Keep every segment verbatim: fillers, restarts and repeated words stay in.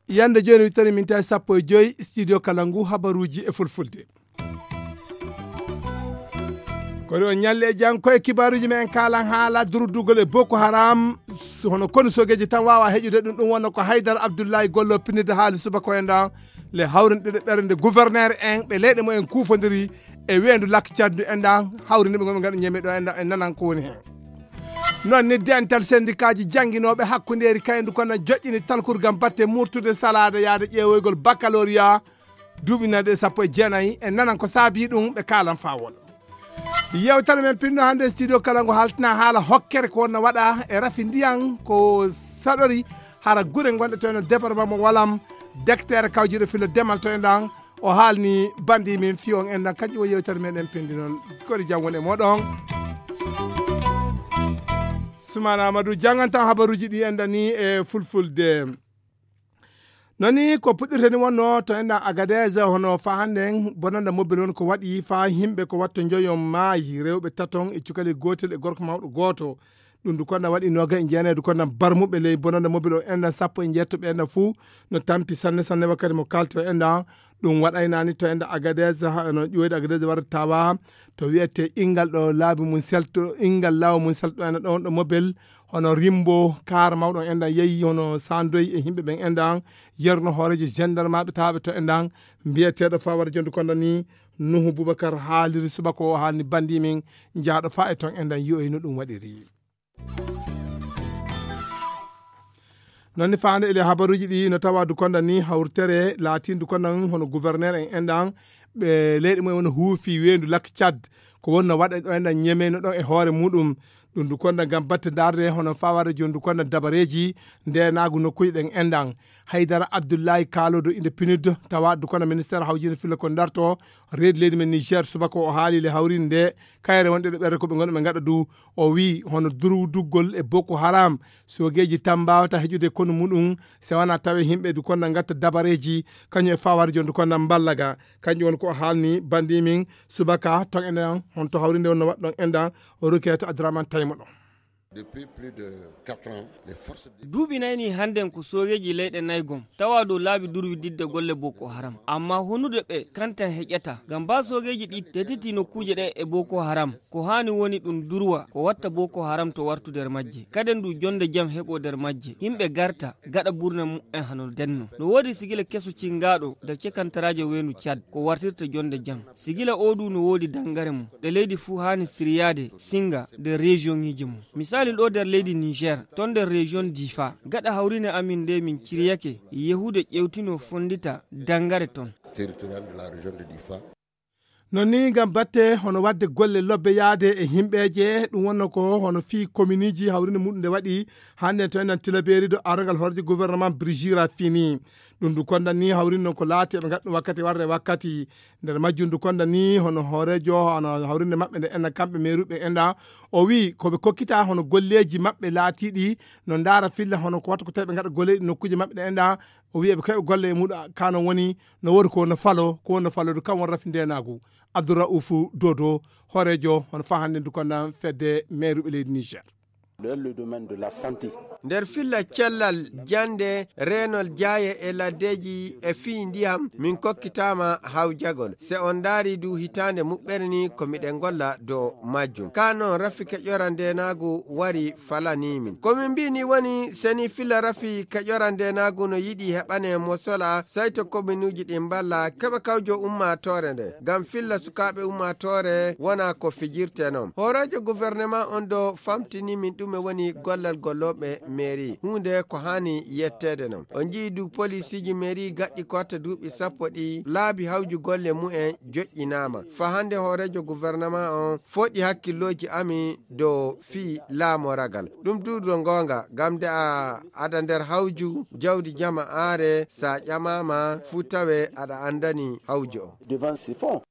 Yande jooni wittori min tawi sappo e joyi studio kala ngu habaruuji e fulfulde. Kono on ñalle e jang koye kibaaruuji men en kaalan haala durudugol e Boko Haram. Hono konu sogeji tan waawa heƴude ɗum ɗum wonno ko Haydara Abdullahi Gollo pinnide haali subaka o enɗan le hawrinde ɓernde gouverneur en ɓe leyɗe mo en kuufondiri e weendu lakk caddu enɗan hawrinde ɓe goɓe ngaɗa ñeme ɗo enɗan en nanan ko woni heen. Noon ni dental sendikaaji jannginooɓe hakkundeeri kayndu kono joƴƴini talkuru ngam batte murtude salaade yaade ƴeewoygol baccalauréat duuɓi nayi ɗe sappo e jeenayi e nanan ko saabii ɗum ɓe kaalan fawol. Yewtere men pinno hannde studio kala ngo haltina haala hokkere ko wonno waɗa e rafi ndiyan ko saɗori hara gure ngonɗe to eno département mo walam. Dektere kawjiɗo filo demal to enɗan o haalni bandi min fiyon enɗan kanƴum o yewtere men en pindi noon. Kori jam woni e moɗon. Sumana amadou jangantan habaruji ɗi enɗan ni e fulfulde. Noni ko puɗɗirteni wonno to enɗan agadez hono fa hannden bonanda mobile won ko waɗi fa himɓe ko watto joyon maayi rewɓe taton e cukali gotel e gorko mawɗo gooto. Ɗum du konda waɗi noga e jeenaydu konda barmuɓe ley bonanda mobile o enɗan sappo e jeetto ɓe enɗan fuu no tampi sanne sanne wakkati mo kalto enɗan. Ɗum waɗaynani to enɗan agadez no ƴoyde agadez warde tawa to wiyete ingal ɗo laabi mum selto ingal lawo mum selto enɗan ɗon ɗo mobile hono rimbo kaar mawɗo enɗan yeeyi hono sandoy e yimɓe ɓen enɗan yerno hoorejo gendarmaɓe tawaɓe to enɗan mbiyeteɗo fa waɗa jonde konda ni nuhu boubacar haaliri subaka o haalni bandi min jaaɗo fa e ton enɗan yi'oyi no ɗum waɗiri. Noon ni faande ele habaruuji ɗi no tawa dukonda ni hawritere laatin dukonda hono gouverneur en enɗan ɓe leyɗe mumen wona huufi weendu lakk cad ko wonno waɗa ɗo enɗan ñemeyno ɗon e hoore muɗum. Ɗum dukonda ngam batte darde hono fawade jooni dukonda dabareeji ndenaagu nokkuuji ɗen enɗan. Haydara abdullahi kaalodo inde pinud tawa dukonda ministére hawjinde filla ko darto reedi leydi men niger subaka o haali le hawrinde nde kayre wonɗe ɗo ɓerde ko ɓe ngonɗo ɓe ngaɗa du. O wii hono durwduggol e boko haram sogeeji tan mbaawata heƴude konu muɗum se wona tawe yimɓe du konda ngatta dabareeji kañum e fawade jooni du konda mballaga. Kanƴum woni ko o haalni bandi min subaka ton enɗan honto hawrinde wonno waɗɗon enɗan. Roquette adraman taymo ɗon. Depuis plus de quatre ans les forces de duuɓi nayni hannden ko soogeeji leyɗe nayi gom tawa dow laabi durwididde golle boko haram amma honude ɓe kantan heƴata ngam mba soogeeji ɗi tetiti nokkuuje ɗe e boko haram. Ko haani woni ɗum durwa ko watta boko haram to wartu nder majje kaden du jonde jam heɓo nder majje yimɓe garta gaɗa burna mumen hano denno no woodi sigila keso cingaaɗo nder cekantaraajo weendu cad ko wartirta jonde jam. Sigila o du no woodi dangare mum ɗe leydi fuu haani siryaade singa nder region ŋiiji mum. Misali ɗo nder leydi niger ton nder region difa gaɗa hawrine amin nde min ciryake yehude ƴewtino fondita dangare ton. Territorial de la région de difa. Non ni ngam batte hono wadde golle lobbe yaade e himɓeeje ɗum wonno ko hono fii kominiji hawrinde muɗum nde waɗi hannde to enen tilabeeri do arangal horje gouvernement brigira fini. Ɗum du kondan ni hawrinde noon ko laati eɓe ngaɗɗum wakkati warde wakkati nder majjum du kondan ni hono hoorejo hono hawrinde maɓɓe nde enna kamɓe meeruɓe enɗa o wi koɓe kokkita hono golleji maɓɓe laatiɗi no ndaara filla hono ko wattu ko tawi ɓe ngaɗa golleji nokkuji maɓɓe ɗe enɗa. O wi eɓe kawi golle e muɗum kano woni no wori ko no falo ko wonno falodu kam won rafi ndenagu. Abdouraufu dodo hoorejo hono fa hannde du kondan fedde meeruɓe leydi niger. Dans le domaine de la santé. Nder filla cellal jande reenol jaaye e laddeeji e fii ndiyam min kokkitaama hawjagol se on ndaari du hitaande muɓɓere ni ko miɗen ngolla dow majjum ka noon rafi keƴora ndeenaagu wari falanii min ko min mbii ni woni seni filla rafi keƴora ndeenaagu no yiɗi heɓane mo sola sayto kominuuji ɗin mballa keɓa kawjo ummaatoore nde ngam filla sukaaɓe ummaatoore wona ko fijirte noon hooreejo gouvernement on do famtini min ɗume woni gollal gollooɓe mairie huunde ko haani yetteede noon o njii du polisiiji mairie gaɗɗi kotta duuɓi sappo ɗi laabi hawju golle mumen joƴƴinaama fa hannde hooreejo gouvernement on foɗi hakkillooji ami dow fii laamoragal ɗum duudo ngoonga ngam nde a ada nder hawju jawdi jama aare sa ƴamaama fuu tawe aɗa anndani hawju o. Devant ce fonds.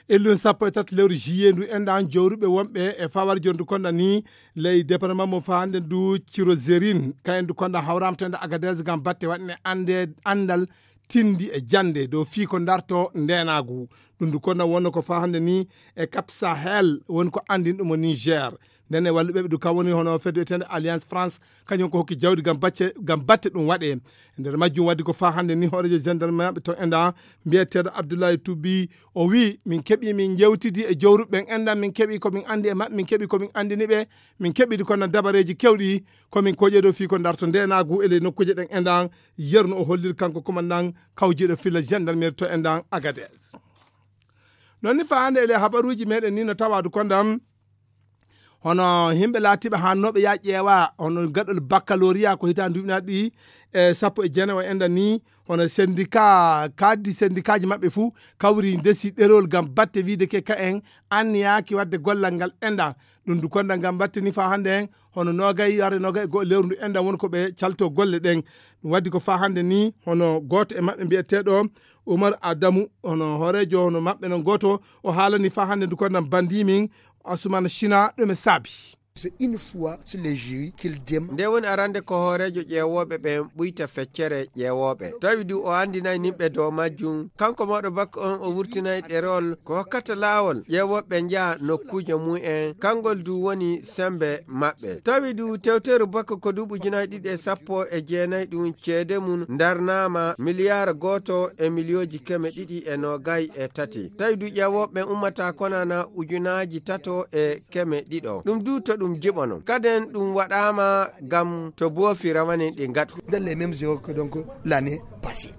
Ellun sappo e tati lewru juillet ndu enɗan jowruɓe wonɓe e fawar jondu konɗa ni ley département mo fande ndu cirozerin kayen ndu konɗa hawramtende agadez gam batte waɗne ande andal tindi e jannde dow fii ko ndarto ndeenaagu. Ɗum du ko na wonno ko faa hannde ni e Cap Sahel woni ko anndin ɗum o Niger. Ndene walluɓe ɓe du kam woni hono fedde wiyeteende Alliance France, kañum ko hokki jawdi ngam bacce, ngam batte ɗum waɗe. E nder majjum waddi ko faa hannde ni hoorejo gendarme maɓɓe to enda mbiyeteeɗo Abdoulaye Toubi, o wi min keɓi min jewtidi e jowruɓe ɓen endan, min keɓi ko min anndi e maɓɓe, min keɓi ko min anndini ɓe, min keɓidi kono dabareeji kewɗi ko min koƴe dow fii ko ndarto ndeenaagu e ley nokkuuje ɗen endan. Yerno o holliri kanko commandant kawjiiɗo filla gendarmerie to endan Agadez. Non ni faa hannde e ley habaruuji meɗen ni no tawadu kondam hono yimɓe laatiiɓe haannooɓe ya ƴeewa hono gaɗol baccalauréat ko hitaande duuɓinaaɗi ɗi e sappo e jeenayi o endan ni, hono syndicat, kaddi syndicatji maɓɓe fuu kawri ndesi ɗerol ngam batte wiide ke ka en anniyaaki waɗde gollal ngal endan. Ɗum du konda ngam batte ni faa hannde en hono noogay yare noogay e go'o lewru ndu endan woni ko ɓe calto golle ɗen. Ɗum waddi ko faa hannde ni hono gooto e maɓɓe mbiyeteeɗo Umar Adamu, hono hooreejo hono maɓɓe non gooto, o haalani faa hannde ndu konda bandii min Asumana Shina ɗum e saabi. C'est une fois sur les jurys qu'il dem- Nde woni arande ko hooreejo ƴeewooɓe ɓen ɓuyta feccere ƴeewooɓe. Tawi du o anndinay nimɓe dow majjum. Kanko mawɗo bakka on o wurtinay ɗerol ko hokkata laawol ƴeewooɓe njaha nokkuuje mum en. Kangol du woni sembe maɓɓe. Tawi du tewteeru bakka ko duuɓi ujunaaji ɗiɗi e sappo e jeenayi ɗum ceede mum ndarnaama miliyaar gooto e miliyooji keme ɗiɗi e noogay e tati. Tawi du ƴeewooɓe ɓen ummata konana ujunaaji tato e keme ɗiɗo. Ɗum du to ɗum jiɓono. Kaden ɗum waɗaama ngam to boofi rawanin ɗi ngaɗu. Dans les mêmes erreurs que donc l'année passée.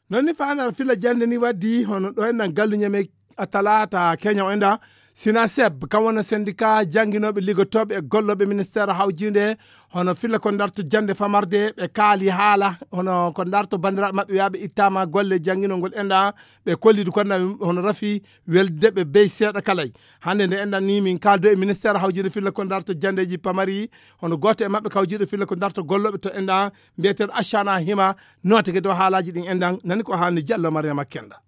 Non ni faa hannde filla jannde ni waddi hono ɗo enɗan gallu ñame a talaata keña o enɗa. Sina seb kam wona syndicat jannginooɓe liggotooɓe e gollooɓe ministère hawjiinde hono filla ko ndarto jannde famarde ɓe kaali haala hono ko ndarto banndiraaɓe maɓɓe wiyaaɓe ittaama golle jannginol ngol enɗa. Ɓe kollidu konda hono rafi welde ɓe bey seeɗa kalay. Hannde nde enɗan ni min kaaldo e ministère hawjiinde filla ko ndarto janndeeji pamari hono gooto e maɓɓe kawjiiɗo filla ko ndarto gollooɓe to enɗan mbiyeteeɗo Ashana Hima. Nootake dow haalaaji ɗin enɗan nani ko haalni Jallo Mariama Kenda.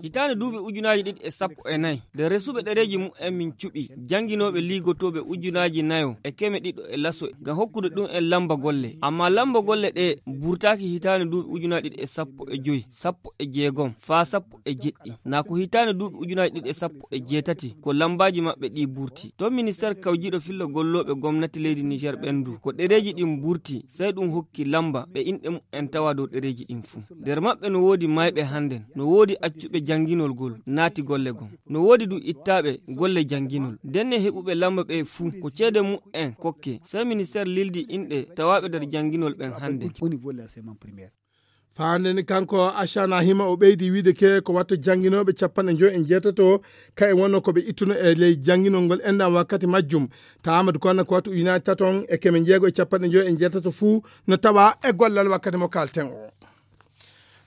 Hitaande duuɓi ujunaaji ɗiɗi e sappo e nayi, nde resuɓe ɗereeji mumen min cuɓi jannginooɓe liigotooɓe ujunaaji nayo e keme ɗiɗo e laso ngam hokkude ɗum en lamba golle. Ammaa lamba golle ɗe burtaaki hitaande duuɓi ujunaaji ɗiɗi e sappo e joy, sappo e jeegom, faa sappo e jeɗɗi. Naa ko hitaande duuɓi ujunaaji ɗiɗi e sappo e jeetati ko lambaaji maɓɓe ɗi burti. To ministeer kawjiiɗo filla gollooɓe gomnati leydi Niger ɓen du, ko ɗereeji ɗin burti, sey ɗum hokki lamba ɓe inɗe mumen tawa dow ɗereeji ɗin fuu. Nder maɓɓe no woodi mayɓe hannden, no woodi accuɓe jannginol gol, naati golle gom. No woodi du ittaaɓe golle jannginol. Ndenne heɓuɓe lamba ɓe fuu, ko ceede mumen kokke. Sey ministeer lildi inɗe tawaaɓe nder jannginol ɓen hannden. Faande ni kanko Ashana Hima o ɓeydi wiide ke ko watto jannginooɓe capanɗe joy e jeetato, ka e wonno ko ɓe ittuno e ley jannginol ngol enɗan wakkati majjum. Taamadu kono ko watto ujunaaji taton e keme jeego e capanɗe joy e jeetato fuu no tawa e gollal wakkati mo kalten o.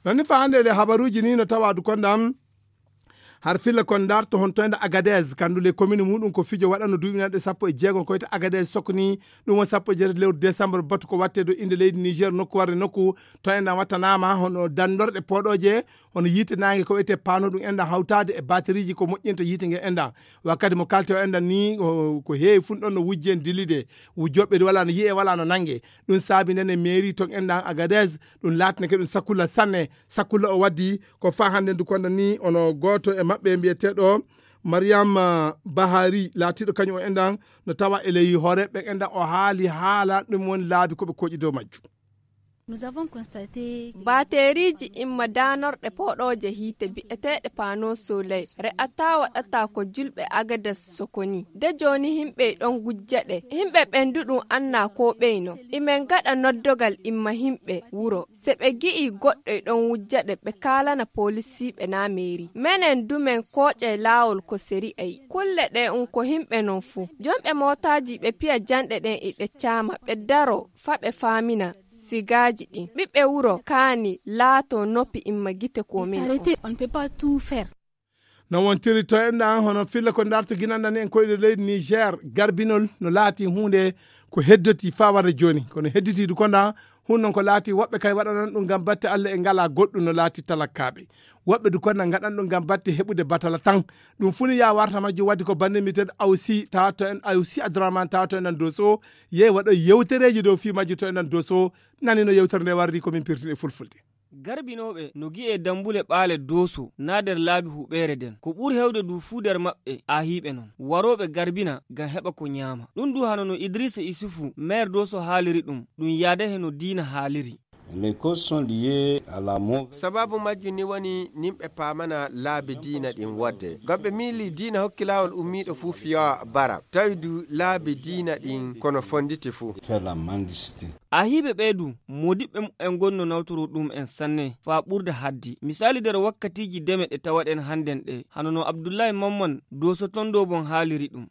Non ni faande e ley habaruuji ni no tawa du kondam har filla kon ndarto hon to enɗan Agadez, kandu ley commune muɗum ko fijo waɗano duuɓinanɗe sappo e jeego ko wiyete Agadez sokni. Ɗum woni sappo e jeetati lewru décembre batu ko watte dow innde leydi Niger nokku warde nokku. To enɗan wattanaama hono danndorɗe pooɗooje, hono yiite naange ko wiyete paano ɗum enɗan hawtaade e bateriiji ko moƴƴinta yiite nge enɗan. Wakkati mo kalte o enɗan ni o, ko heewi fun ɗon no wujje en dilide. Wujjooɓe wala no yi'e wala no nannge. Ɗum saabi ndene mairie ton enɗan Agadez ɗum laatneke ɗum sakulla sanne. Sakulla o waddi ko faa hannde ndu konda ni ono gooto e maɓɓe mbiyeteeɗo Mariam, ah, Bahari laatiiɗo kañum o enɗan no tawa e ley hooreeɓe ɓen enɗan o haali haala ɗum woni laabi ko ɓe koƴi dow majjum. Baateeriiji imma daanorɗe pooɗooje hiite bi'eteeɗe paano soley re'ataa waɗataa ko julɓe Agadas sokoni. De jooni himɓe ɗon gujja ɗe. Himɓe ɓen du ɗum annaa koo ɓeyno. Imen gaɗa noddogal imma himɓe wuro. Se ɓe gi'ii goɗɗo e ɗon wujja ɗe ɓe kaalana poolisiiɓe naa meeri. Menen du men kooƴay laawol ko seri ayi. Kulle ɗe un ko himɓe non fuu. Jomɓe mootaaji ɓe piya janɗe ɗen e ɗe caama ɓe daro. Faa ɓe faamina sigaaji ɗin. Ɓiɓɓe wuro kaani laatoo noppi imma gite ko min. No wontiri to enɗan hono filla ko ndarto ginanɗan en koyɗe leydi Niger garbinol no laati huunde ko heddoti faa warde jooni. Kono hedditiidu konɗan hun non ko laati woɓɓe kay waɗanan ɗum ngam batte Alla e ngalaa goɗɗum no laati talakkaaɓe. Woɓɓe du konɗan ngaɗan ɗum ngam batte heɓude batala tan. Ɗum fuu ni yaa warta majjum waddi ko bannde mbiyeteeɗo Awsi tawa to en Awsi Abdourahmane tawa to enɗan Doso. Yehi waɗo yewtereeji dow fii majjum to enɗan Doso. Nani no yewtere nde wardi ko min pirtini e fulfulde. Garbinooɓe no gi'ee dammbule ɓaale Dooso naa nder laabi huɓeere nden. Ko ɓuri heewde du fuu nder maɓɓe aahiiɓe non, warooɓe garbina ngam heɓa ko nyaama. Ɗum du hano no Idriisa Isufu, meer Dooso haaliri ɗum, ɗum yaadahe no diina haaliri. Les causes sont liées à la mauvaise. Sababu majjum ni woni nimɓe paamana laabi diina ɗin wodde. Ngam ɓe miili diina hokki laawol ummiiɗo fuu fiyawa bara. Tawi du laabi diina ɗin kono fonditi fuu. Faire la mendicité. Aahiiɓe ɓee du, moodiɓɓe mu'en ngon no nawtoroo ɗum'en sanne, faa ɓurda haddi. Misaali nder wakkatiiji deme ɗe tawaɗen hannden ɗe, hano no Abdullaahi Mamman Dooso ton Doobon haaliri ɗum.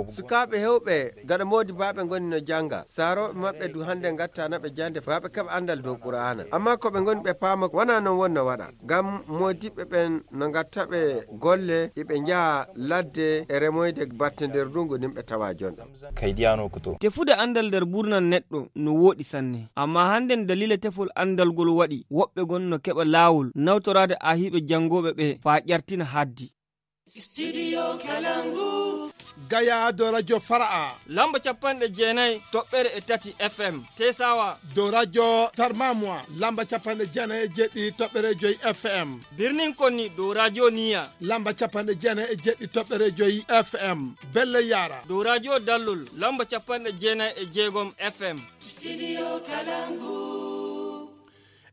Sukaaɓe heewɓe gaɗa moodibaaɓe ngoni no jannga. Saarooɓe maɓɓe du hannden ngattaana ɓe jannde faa ɓe keɓa anndal dow Qur'aana. Ammaa ko ɓe ngoni ɓe paama wanaa non woni no waɗa. Ngam moodiɓɓe ɓen no ngatta ɓe golle, iɓe njaha ladde e remoyde batte nder ndungu nin ɓe tawa jonɗo. Kay diyaano ko to. Tefude anndal nder ɓurnan neɗɗo no wooɗi sanne. Ammaa hannden daliila tefol anndal ngol waɗi woɓɓe ngon no keɓa laawol nawtoraade aahiiɓe janngooɓe ɓe faa ƴartina haddi. Studio Kalangu. Gaya do Radio Fara'a. Lamba capanɗe jeenayi toɓɓere e tati F M. Tesawa. Do Radio Tarmamwa. Lamba capanɗe jeenayi e jeɗɗi toɓɓere joyi F M. Birnin Konni do Radio Niya. Lamba capanɗe jeenayi e jeɗɗi toɓɓere joyi F M. Belle Yara. Do Radio Dallol. Lamba capanɗe jeenayi e jeegom F M. Studio Kalangu.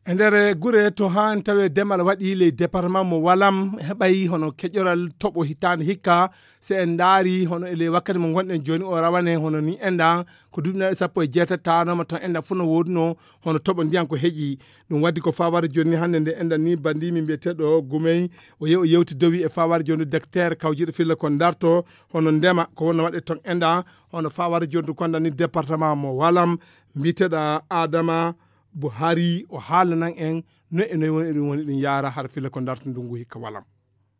E nder gure to haan tawe demal waɗi ley département mo Walam heɓay hono keƴoral toɓo hitaande hikka. So en ndaari hono e ley wakkati mo ngonɗen jooni o rawane hono ni enɗan ko duuɓi nayi sappo e jeetati tawanoma toon enɗan fof no woodunoo hono toɓo ndiyan ko heƴi. Ɗum waɗi ko fawara jooni ni hannde nde enɗan ni banndi min mbiyeteeɗo Gumey o yehi o yewti dowi e fawara jooni docteur kawjiiɗo filla ko darto hono ndema ko wonno waɗe toon enɗan hono fawara jooni kon ɗan ni département mo Walam mbiyeteeɗo Adama Buhari o haalanan en no e noy woni eɗum woni ɗum yaara har filla ko darto ndungu hikka Walam.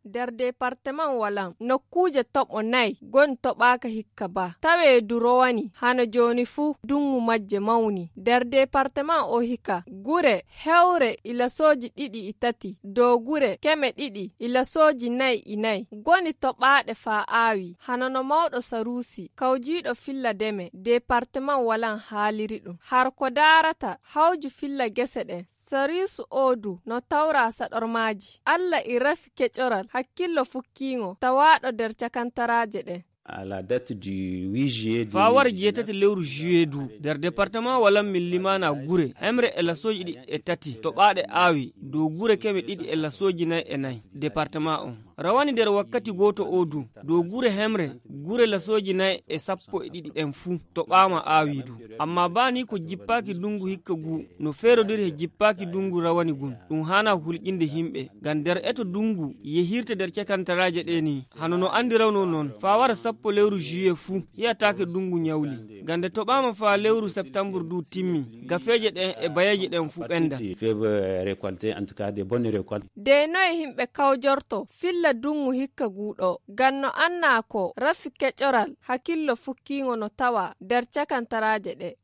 Nder departement Walam nokkuuje toɓo nayi goni toɓaaka hikka ba tawee du rowani hano jooni fuu dungu majje mawni nder departement o hikka gure hewre ila sooji ɗiɗi e tati dow gure keme ɗiɗi ila sooji nayi e nayi goni toɓaaɗe faa aawi hano no mawɗo saruusi kawjiiɗo filla deme departement Walam haaliri ɗum har ko daarata hawju filla gese ɗen sariisu oo du no tawra saɗormaaji alla e rafi keƴoral hakkillo fukkiingo tawaaɗo nder cakantaraaje ɗen. À la date du huit juillet faa wara jeetati lewru juillet du nder département Walam min limaana gure hemre e lasooji ɗiɗi e tati toɓaaɗe aawi dow gure keme ɗiɗi e lasooji nayi e nayi département on rawani nder wakkati gooto oo du dow gure hemre gure lasooji nayi e sappo e ɗiɗi ɗen fuu toɓaama aawi du amma baa ni ko jippaaki dungu hikka guu no feerodiri he jippaaki dungu rawani gun ɗum haanaa hulƴinde himɓe ngam nder eto dungu yehirta nder cakantaraaje ɗee ni hano no anndirawno non faa wara sappo lewru juillet fuu hiyataake dungu ñawli ngam nde toɓaama faa lewru septambur du timmi gafeeje ɗen e bayeeje ɗen fuu ɓenda. Faible récolte en tout cas des bonnes récoltes. De noye himɓe kawjorto filla dungu hikka guu ɗoo ngam no annaa ko rafi keƴoral hakillo fukkiingo no tawa nder cakantaraaje ɗee.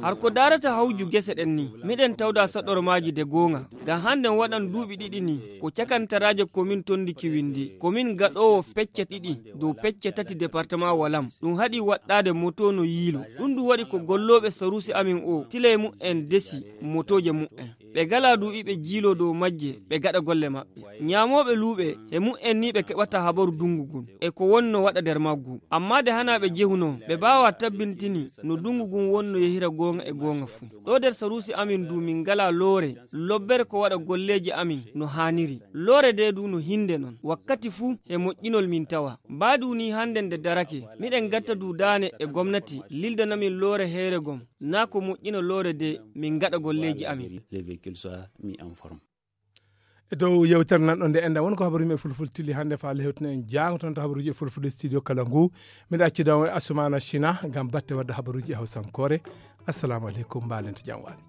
Har ko daarata hawju gese ɗen ni miɗen tawda saɗormaaji de goonga ngam hannden waɗan duuɓi ɗiɗi ni ko cakantaraaje komin tondiki winndi komin gaɗoowo pecce ɗiɗi dow pecce tati departement Walam ɗum haɗi waɗɗaade moto no yiilo ɗum ɗum waɗi ko gollooɓe saruusi amin o tile mu'en desi motooje mu'en ɓe gala du iɓe jiiloo dow majje ɓe gaɗa golle maɓɓe ñaamooɓe luuɓe e mu'en ni ɓe keɓata habaru dungu ngun e ko wonno waɗa nder maggu amma de hanaa ɓe jehunoo ɓe baawaa tabbintini no dungu ngun wonno yehira goonga e goonga fuu ɗoo nder saruusi amin du min ngalaa loore lobbere ko waɗa golleeji amin no haaniri loore de du no hinnde non wakkati fuu e moƴƴinol min tawa mbaadu ni hannden de darake miɗen gatta du daane e gomnati lildanamin loore heere gom naa ko moƴƴina loore de min ngaɗa golleeji amin. E dow yewtere nan ɗo nde enɗan woni ko habaruuji e fulfulde tilli hannde faa lehewtina en jaango toon to habaruuji e fulfulde studio kala ngu miɗo accida on e Asumana China ngam batte wadde habaruuji e hawsankoore. Assalamu aleykum mbaalente jam waali.